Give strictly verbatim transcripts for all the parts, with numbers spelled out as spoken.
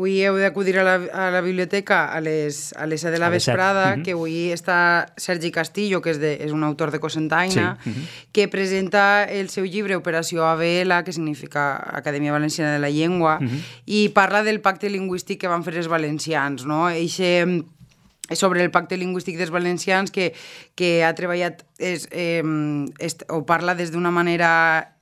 avui heu d'acudir a, la, a la biblioteca a les, a les set de la vesprada, uh-huh. que avui està Sergi Castillo, que és, de, és un autor de Cocentaina, sí. uh-huh. que presenta el seu llibre Operació A B L, que significa Acadèmia Valenciana de la Llengua, uh-huh. i parla del pacte lingüístic que van fer els valencians, no? Eixe... sobre el pacte lingüístic dels valencians que, que ha treballat és, eh, est, o parla des d'una manera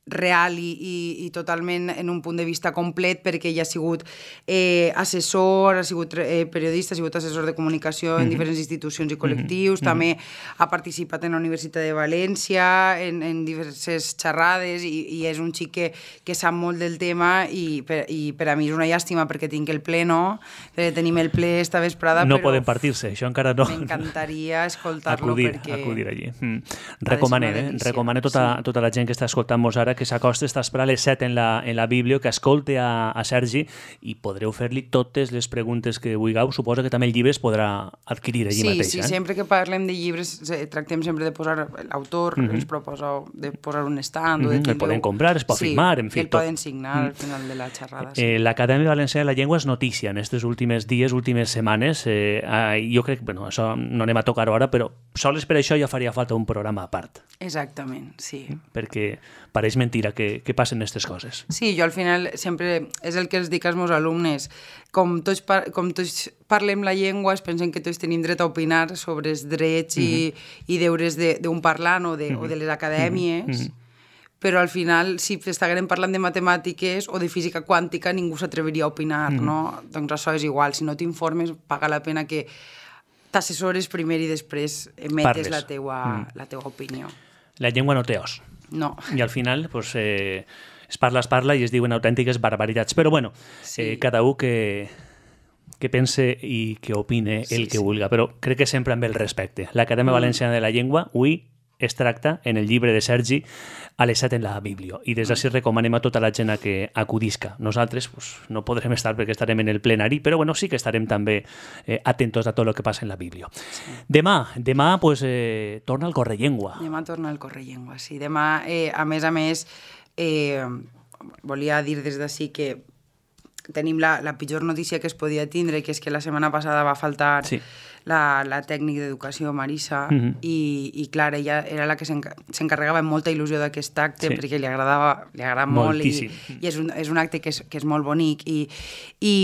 real i, i, i totalment en un punt de vista complet, perquè ell ha sigut eh, assessor, ha sigut eh, periodista, ha sigut assessor de comunicació en mm-hmm. diferents institucions i col·lectius, mm-hmm. també ha participat en la Universitat de València, en, en diverses xerrades, i, i és un xic que, que sap molt del tema, i per, i per a mi és una llàstima perquè tinc el ple, no? Perquè tenim el ple esta vesprada, no però... poden partir-se, això encara no. M'encantaria escoltar-lo acudir, perquè... Acudir allí. Mm. Recomane, eh? Recomane tota, sí. tota la gent que està escoltant-nos ara que s'acosta, està esperant les set en la, en la Bíblia, que escolte a, a Sergi i podreu fer-li totes les preguntes que vulgueu. Suposa que també el llibre es podrà adquirir allí sí, mateix. Sí, eh? sempre que parlem de llibres tractem sempre de posar l'autor, mm-hmm. ens proposa de posar un stand mm-hmm. o de tindre... El poden comprar, es pot sí, firmar, en fi, el tot. poden signar mm. al final de la xerrada. Sí. Eh, L'Acadèmia Valenciana de la Llengua és notícia en aquests últims dies, últimes setmanes. Eh, eh, jo crec que, bueno, això no anem a tocar ara, però sols per això ja faria falta un programa a part. Exactament, sí. Perquè pareix mentira que, que passen aquestes coses. Sí, jo al final sempre és el que els dic als meus alumnes. Com tots, par com tots parlem la llengua, es pensen que tots tenim dret a opinar sobre els drets mm-hmm. i, i deures d'un parlant o de, mm-hmm. o de les acadèmies, mm-hmm. però al final, si estiguem parlant de matemàtiques o de física quàntica, ningú s'atreviria a opinar, mm-hmm. no? Doncs això és igual. Si no t'informes, paga la pena que t'assessores primer i després emetes la teua, mm. la teua opinió. La llengua no té os. No. I al final, pues, eh, es parla, es parla i es diuen autèntiques barbaritats. Però bueno, sí. eh, cada un que, que pense i que opine el sí, que sí. vulga, però crec que sempre amb el respecte. L'Acadèmia mm. Valenciana de la Llengua, avui es tracta en el llibre de Sergi a les set en la Bíblia. I des d'ací recomanem a tota la gent a que acudisca. Nosaltres pues, no podrem estar perquè estarem en el plenari, però bueno, sí que estarem també eh, atentos a tot el que passa en la Bíblia. Sí. Demà, demà pues, eh, torna el Correllengua. Demà torna el Correllengua, sí. Demà, eh, a més a més, eh, volia dir des d'ací que tenim la, la pitjor notícia que es podia tindre, que és que la setmana passada va faltar sí. la, la tècnic d'educació, Marisa, mm-hmm. i, i clar, ella era la que s'encarregava amb molta il·lusió d'aquest acte, sí. perquè li agradava, li agrada molt, i, i és, un, és un acte que és, que és molt bonic, i, i,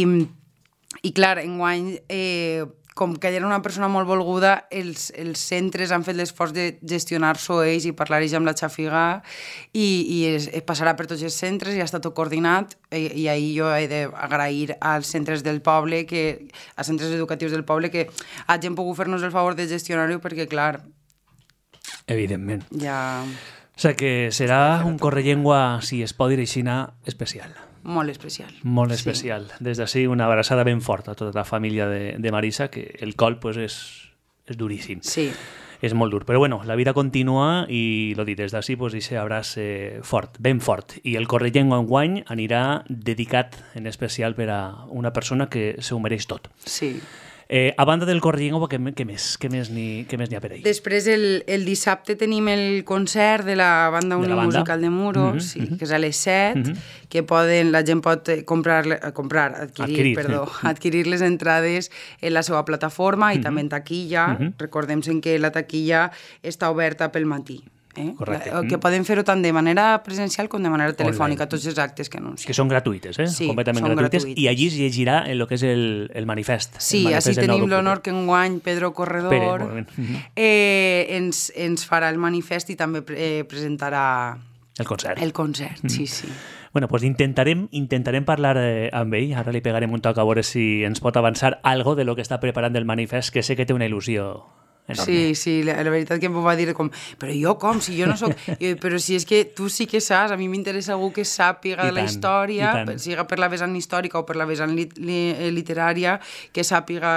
i clar, enguany... Eh, com que ella era una persona molt volguda, els, els centres han fet l'esforç de gestionar-s'ho ells i parlar-hi amb la xafiga i, i es, es passarà per tots els centres i ha estat tot coordinat i, i ahir jo he d'agrair als centres del poble, que, als centres educatius del poble, que hagin pogut fer-nos el favor de gestionar-ho perquè, clar... Evidentment. Ja... O sigui que serà un Correllengua, si es pot dir així, especial. Molt especial. Molt especial. Sí. Des d'ací una abraçada ben forta a tota la família de, de Marisa, que el col pues, és, és duríssim. Sí. És molt dur. Però bueno, la vida continua i, lo dit, des d'ací, pues, ixe abraç eh, fort, ben fort. I el Correllengua enguany anirà dedicat en especial per a una persona que se ho mereix tot. Sí. Eh, a banda del Correllengua, què, què més? Què més n'hi ha per ahí? Després, el, el dissabte tenim el concert de la Banda Unimusical de Muros, mm-hmm, sí, mm-hmm. que és a les set, mm-hmm. que poden, la gent pot comprar, comprar adquirir, adquirir, perdó, sí. adquirir les entrades en la seva plataforma i mm-hmm. també en taquilla. Mm-hmm. Recordem que la taquilla està oberta pel matí. Eh? Correcte. Que poden fer-ho tant de manera presencial com de manera telefònica, tots els actes que anuncien. Que són gratuïtes, eh? Sí, completament són gratuïtes, gratuïtes. I allí es llegirà el que és el, el manifest. Sí, el manifest així tenim l'honor que enguany Pedro Corredor Pere, eh, ens, ens farà el manifest i també eh, presentarà el concert. El concert, mm. sí, sí. Bueno, pues intentarem, intentarem parlar eh, amb ell, ara li pegarem un toc a veure si ens pot avançar algo de lo que està preparant el manifest, que sé que té una il·lusió enorme. Sí, sí, la, la veritat que em va dir com, però jo com, si jo no soc... Jo, però si és que tu sí que saps, a mi m'interessa algú que sàpiga de la història, siga per la vessant històrica o per la vessant lit li literària, que sàpiga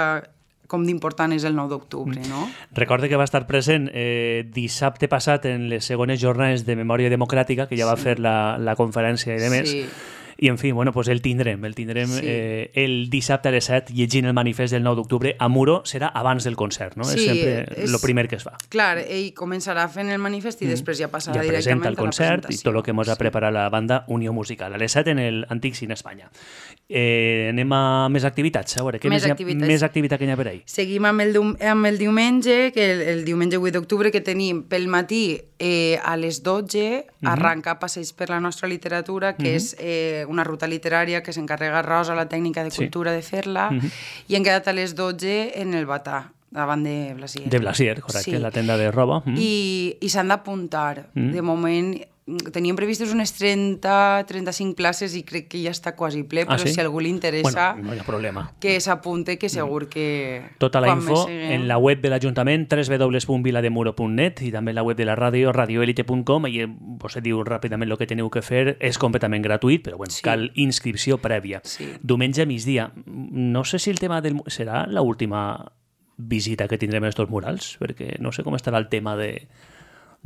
com d'important és el nou d'octubre, no? Recorde que va estar present eh, dissabte passat en les segones jornades de Memòria Democràtica, que ja va sí. fer la, la conferència i de més, sí. I, en fi, bueno, pues el tindrem. El tindrem sí. eh, el dissabte a les set llegint el manifest del nou d'octubre a Muro. Serà abans del concert, no? Sí, és sempre el primer que es fa. Clar, ell començarà fent el manifest i mm. després ja passarà ja directament el concert i tot el que ens ha preparat la banda Unió Musical. A les set en l'Antic Cine Espanya. Eh, anem a més activitats. A veure, què més, més, activitats. més activitat que hi ha per ahí? Seguim amb el, amb el diumenge, que el, el diumenge vuit d'octubre, que tenim pel matí eh, a les dotze, mm-hmm. arranca Passeig per la nostra literatura, que mm-hmm. és eh, una ruta literària que s'encarrega Rosa, la tècnica de cultura, sí. de fer-la, mm-hmm. i hem quedat a les dotze en el Batà, davant de Blasier. De Blasier, correcte, sí. la tenda de roba. Mm. I, i s'han d'apuntar. Mm. De moment, teníem previstes unes trenta a trenta-cinc places i crec que ja està quasi ple, però ah, sí? si a algú li interessa, bueno, no hi ha problema. Que s'apunte, que segur que... Tota la info en la web de l'Ajuntament, w w w punt vilademuro punt net, i també en la web de la ràdio, radioelite punt com, i vos diu ràpidament el que teniu que fer, és completament gratuït, però bueno, sí. cal inscripció prèvia. Sí. Diumenge a migdia. No sé si el tema del... serà l'última visita que tindrem a estos murals, perquè no sé com estarà el tema de,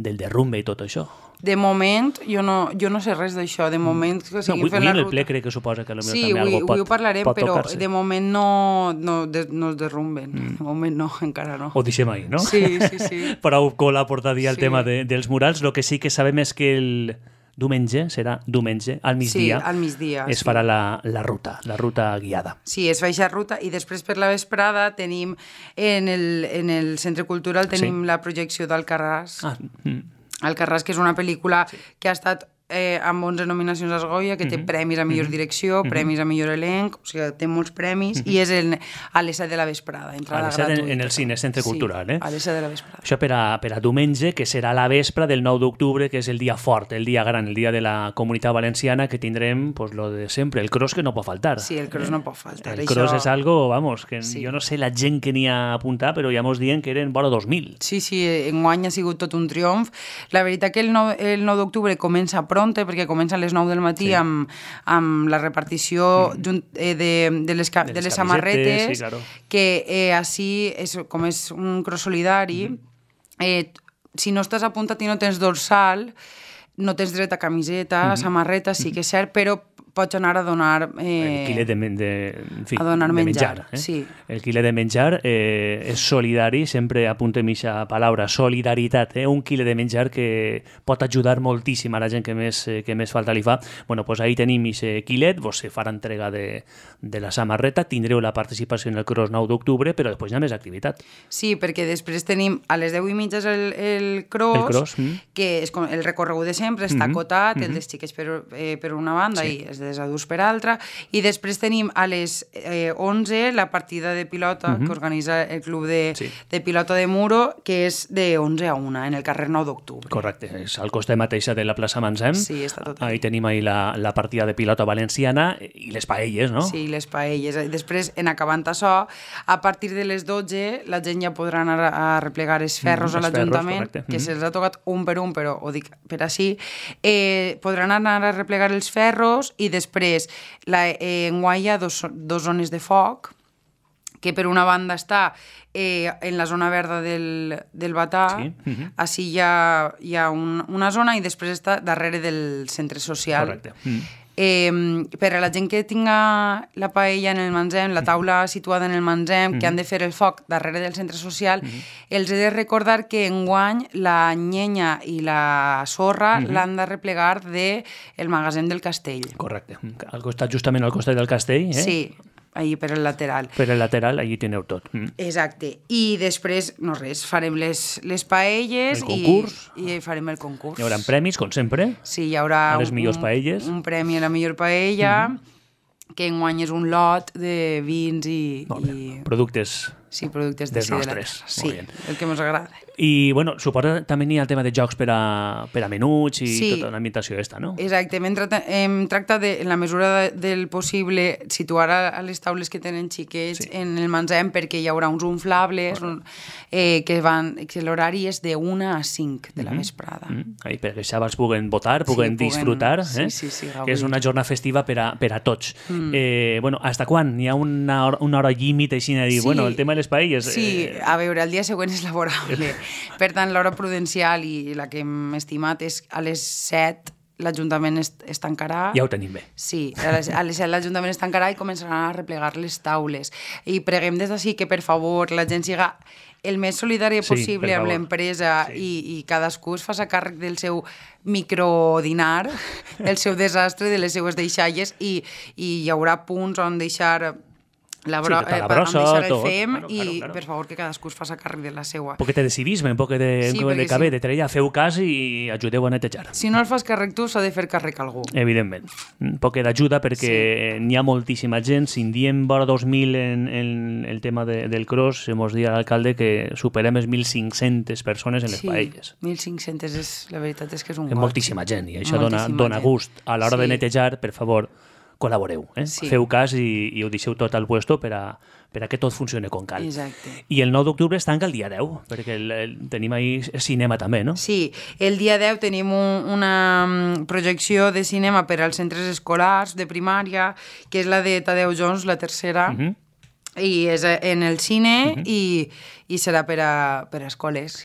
del derrumbe i tot això. De moment, jo no, jo no sé res d'això. De moment... Que no, avui en el ple crec que suposa que sí, també avui, algo pot, ho parlarem, pot però tocar-se. de moment no, no, de, no es derrumben. Mm. De moment no, encara no. Ho deixem ahí, no? Sí, sí, sí. Prou cola portar dia el sí. tema de, dels murals. El que sí que sabem és que el diumenge, serà diumenge, al migdia, sí, al migdia es sí. farà la, la ruta, la ruta guiada. Sí, es fa aquesta ruta i després per la vesprada tenim en el, en el Centre Cultural tenim sí. la projecció d'Alcarràs. Ah, mm. Alcarràs, que és una pel·lícula sí. que ha estat eh, amb onze nominacions als Goya, que té mm-hmm. premis a millor direcció, mm-hmm. premis a millor elenc, o sigui, té molts premis, mm-hmm. i és el, a les set de la vesprada, entrada gratuïta. En, en el cine, Centre Cultural, sí, eh? a les set de la vesprada. Això per a, per a diumenge, que serà la vespre del nou d'octubre, que és el dia fort, el dia gran, el dia de la Comunitat Valenciana, que tindrem, pues, lo de sempre, el cross que no pot faltar. Sí, el cross eh? no pot faltar. El això... cross és algo, vamos, que sí. jo no sé la gent que n'hi ha apuntat, però ja mos diuen que eren vora dos mil. Sí, sí, enguany ha sigut tot un triomf. La veritat que el nou, el nou d'octubre comença pronte, perquè comença a les nou del matí sí. amb, amb la repartició mm. de, de, de, les, de, de les samarretes, sí, claro. que eh, així, és, com és un cross solidari, mm. eh, si no estàs apuntat i no tens dorsal, no tens dret a camiseta, mm-hmm. samarreta, sí que és cert, però pots anar a donar... Eh, el quilet de, de, en fi, a donar de menjar. menjar eh? Sí. El quilet de menjar eh, és solidari, sempre apuntem aquesta paraula, solidaritat, eh? un quilet de menjar que pot ajudar moltíssim a la gent que més, eh, que més falta li fa. Bueno, pues ahí tenim aquest quilet, vos se farà entrega de, de la samarreta, tindreu la participació en el cross nou d'octubre, però després hi ha més activitat. Sí, perquè després tenim a les deu i mitja el, el cross, el cross mm. que és com el recorregut de sempre, està mm-hmm. acotat, mm-hmm. el dels xiquets per, eh, per una banda sí. i els dels adults per altra, i després tenim a les eh, onze la partida de pilota mm-hmm. que organitza el club de, sí. de pilota de Muro, que és de onze a una, en el carrer nou d'octubre. Correcte, és al costat mateixa de la plaça Mansem. Sí, està tot ahí. Ahí tenim ahí la, la partida de pilota valenciana i les paelles, no? Sí, les paelles. Després, en acabant això, a partir de les dotze, la gent ja podrà anar a replegar els ferros mm, a l'Ajuntament, que mm-hmm. se'ls ha tocat un per un, però ho dic per així, eh, podran anar a replegar els ferros i després La, eh, en Guai hi ha dos, dos zones de foc, que per una banda està eh, en la zona verda del, del Batà, sí. uh-huh. així hi ha, hi ha un, una zona i després està darrere del centre social. Correcte. Mm. Eh, per a la gent que tinga la paella en el Mansem, la taula situada en el Mansem, mm. que han de fer el foc darrere del centre social, mm. els he de recordar que enguany la llenya i la sorra mm-hmm. l'han de replegar del de magatzem del castell. Correcte. Al costat, justament al costat del castell, eh? Sí. Allí per el lateral. Per el lateral, allí teniu tot. Mm. Exacte. I després, no res, farem les, les paelles el concurs. I, i farem el concurs. Hi haurà premis, com sempre. Sí, hi haurà a les millors un, paelles. un premi a la millor paella, mm-hmm. que enguany és un lot de vins i... i... productes... Sí, productes dels de nostres. De sí, el que ens agrada. I, bueno, suposa també hi ha el tema de jocs per a, per a menuts i sí. tota l'ambientació esta, no? Exacte. Hem, trata, hem tractat, de, en la mesura de, del possible, situar a, a les taules que tenen xiquets sí. en el Mansem, perquè hi haurà uns inflables un, eh, que van... que l'horari és de una a cinc de la vesprada. Mm-hmm. Ahí, perquè els xavals puguen votar, puguen sí, disfrutar, puguen, eh? sí, sí, sí, que és una jornada festiva per a, per a tots. Mm. Eh, bueno, hasta quan? Hi ha una hora, una hora límit així de dir, sí. bueno, el tema de les paelles... Sí, eh... a veure, el dia següent és laborable. Per tant, l'hora prudencial i la que hem estimat és a les set l'Ajuntament es, es tancarà. Ja ho tenim bé. Sí, a les, a les set l'Ajuntament es tancarà i començaran a replegar les taules. I preguem des d'ací que, per favor, la gent siga el més solidària possible sí, amb l'empresa sí. i, i cadascú es faci càrrec del seu microdinar, del seu desastre, de les seues deixalles i, i hi haurà punts on deixar... La bro sí, tota la brossa, eh, el tot. Fem bueno, claro, i, claro. per favor, que cadascú es faci càrrec de la seua. Un poquet de civisme, un poquet de, sí, de caber, sí. de treballar, feu cas i ajudeu a netejar. Si no el fas càrrec tu, s'ha de fer càrrec algú. Evidentment. Un poquet d'ajuda perquè sí. n'hi ha moltíssima gent. Si en diem vora dos mil en, en el tema de, del cross, se mos dia l'alcalde que superem les mil cinc-centes persones en les sí, paelles. mil cinc-centes, és, la veritat és que és un goig. Moltíssima gent, i això dona, dona gust. A l'hora sí. de netejar, per favor, col·laboreu, eh? Sí. Feu cas i, i ho deixeu tot al puesto per a, per a que tot funcioni com cal. Exacte. I el nou d'octubre es tanca el dia deu, perquè el, el, tenim ahí cinema també, no? Sí, el dia deu tenim un, una projecció de cinema per als centres escolars de primària, que és la de Tadeu Jones, la tercera, uh-huh. i és en el cine uh-huh. i, i serà per a, per a escoles.